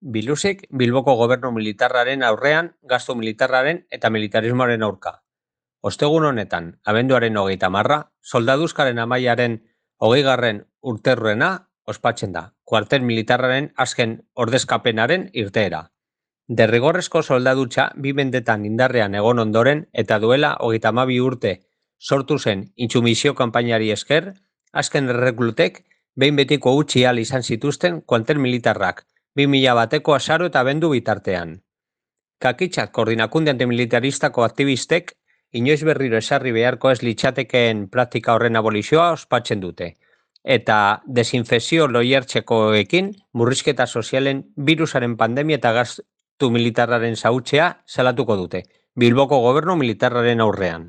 Bilusik Bilboko gobernu militarraren aurrean, gastu militarraren eta militarismoaren aurka. Ostegun honetan, abenduaren 30, soldaduzkaren amaiaren 20. urterruena ospatzen da, kuartel militarraren azken ordezkapenaren irteera. Derrigorrezko soldadutza 2 mendetan indarrean egon ondoren eta duela 32 urte sortu zen intsumisio kanpainari esker, azken erreklutek behin betiko utzi ahal izan zituzten kuartel militarrak 2000 bateko azaro eta abendu bitartean. Kakitzat koordinakunde antimilitaristako aktivistek inoiz berriro esarri beharko ez litzatekeen praktika horren abolizioa ospatzen dute, eta desinfekzio loiertzekoekin murrizketa sozialen birusaren pandemia eta gastu militarraren xahutzea salatuko dute, Bilboko gobernu militarraren aurrean.